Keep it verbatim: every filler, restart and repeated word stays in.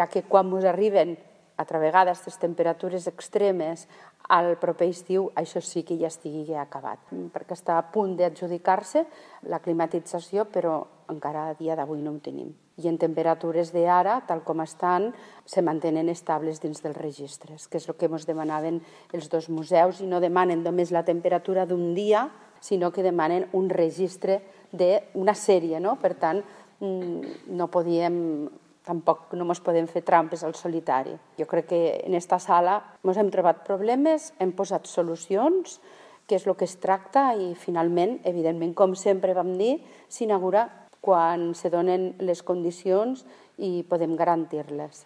ja que quan ens arriben altra vegada aquestes temperatures extremes al proper estiu, això sí que ja estigui acabat, perquè està a punt d'adjudicar-se la climatització, però encara a dia d'avui no ho tenim. I en temperatures d'ara, tal com estan, se mantenen estables dins dels registres, que és el que ens demanaven els dos museus, i no demanen només la temperatura d'un dia, sinó que demanen un registre d'una sèrie, no? Per tant, no podíem... Tampoc no ens podem fer trampes al solitari. Jo crec que en aquesta sala ens hem trobat problemes, hem posat solucions, que és el que es tracta, i finalment, evidentment, com sempre vam dir, s'inaugura quan se donen les condicions i podem garantir-les.